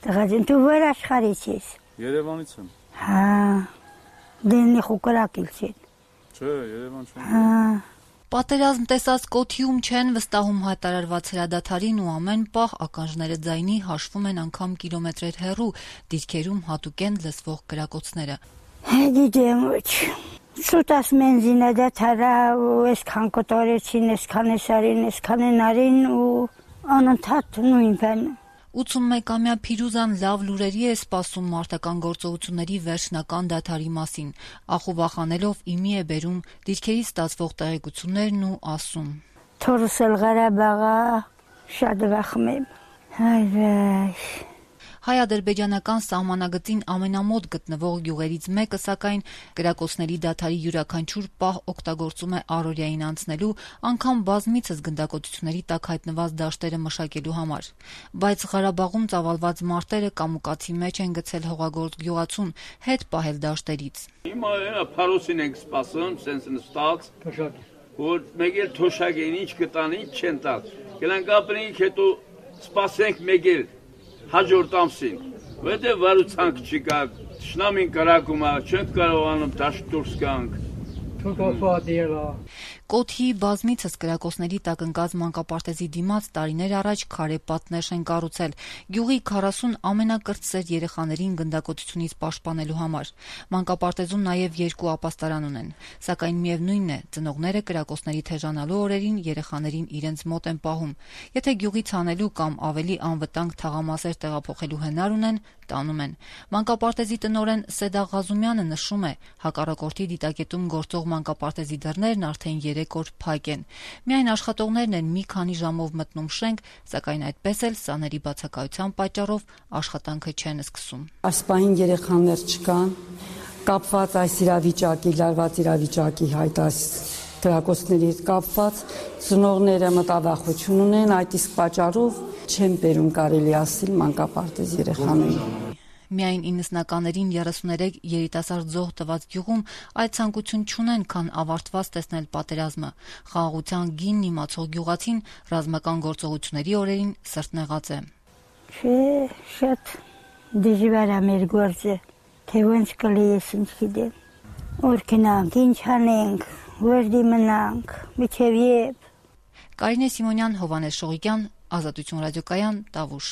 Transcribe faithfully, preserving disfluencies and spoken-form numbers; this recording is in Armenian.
Տղաձին, դու որ աշխարհից ես։ Երևանից եմ։ Հա։ Դենի խոկրակիլ չեն։ Չէ, Երևան չեմ։ Հա։ Պատերազմ տեսած Կոթիում չեն վստահում հայտարարված հրադադարին ու ամեն պահ ականջները ձայնի հաշվում են անգամ կիլոմետրեր հեռու, դիրքերում հատուկ են լսվող կրակոցները։ Գիտեմ ոչ։ Սուտաս մենզինը դադարա ու այսքան կոտորեցին, այսքան էսարին, այսքան ենարին ու անընդհատ նույն բանը։ ութսունմեկամյա Փիրուզան լավ լուրերի է սպասում մարտական գործողությունների վերջնական դադարի մասին, ախուվախանելով իմի է բերում դիրքերից ստացվող տեղեկություններն ու ասում. Թորս էլ Ղարաբաղը շատ վախում եմ։ Հայրայ։ Հայ-ադրբեջանական սահմանագծին ամենամոտ գտնվող գյուղերից մեկը, սակայն, կրակոցների դադարի յուրաքանչյուր պահ օգտագործում է առօրյային անցնելու, անգամ բազմիցս գնդակոծությունների տակ հայտնված դաշտերը մշակելու համար։ Բայց Ղարաբաղում ծավալված մարտերը կամուկացի մեջ են գցել հողագործ գյուղացուն, հետ պահել դաշտերից։ Հիմա փարոսին ենք սպասում, սենց նստած, որ մեկ էլ թոշակ են, ինչ կտան, ինչ չեն տալ։ Գնանք ապրենք, հետո սպասենք մեկ էլ հաջորդ ամսին, որտեղ վարուցանք չկա, թշնամին կրակում է, չենք կարողանում դաշտ դուրս գանք։ Կոթիի բազմիցս կրակոցների տակ ընկած մանկապարտեզի դիմաց տարիներ առաջ քարե պատնեշ են կառուցել գյուղի քառասուն ամենակրտսեր երեխաներին գնդակոծությունից պաշտպանելու համար։ Մանկապարտեզում նաև երկու ապաստարան ունեն, սակայն միևնույնն է, ծնողները կրակոցների թեժանալու օրերին երեխաներին իրենց մոտ են պահում։ Եթե գյուղից հանելու կամ ավելի անվտանգ թաղամասեր տեղափոխելու հնար ունեն, տանում են։ Մանկապարտեզի տնօրեն Սեդա Ղազումյանը նշում է, հակառակորդի դիտակետում գործող մանկապարտեզի դռներն արդեն երեք օր փակ են։ Միայն աշխատողներն են մի քանի ժամով մտնում շենք, սակայն այդպես էլ սաների բացակայության պատճառով աշխատանքը չեն սկսում։ Այսպահին երեխաներ չկան, կապված այս իրավիճակի, լարված իրավիճակի հայտ այս կրակոցների հետ կապված, ծնողները մտավախություն ունեն, այդ իսկ պատճառով չեն բերում կարելի ասել մանկապարտեզ երեխաներին։ Միայն իննսնականներին երեսուներեք երիտասարդ զոհ տված գյուղում այդ ցանկություն չունեն, քան ավարտված տեսնել պատերազմը։ Խաղաղության գինն իմացող գյուղացին ռազմական գործողությունների օրերին սրտնեղած է։ Չէ, շատ դժվար է մեր գործը, թե ոնց կլինես ինչ գիտեմ։ Որ գնանք, ինչ անենք, որ դիմնանք, մինչև երբ։ Կարինե Սիմոնյան, Հովհաննես Շողիկյան, Ազատություն ռադիոկայան, Տավուշ։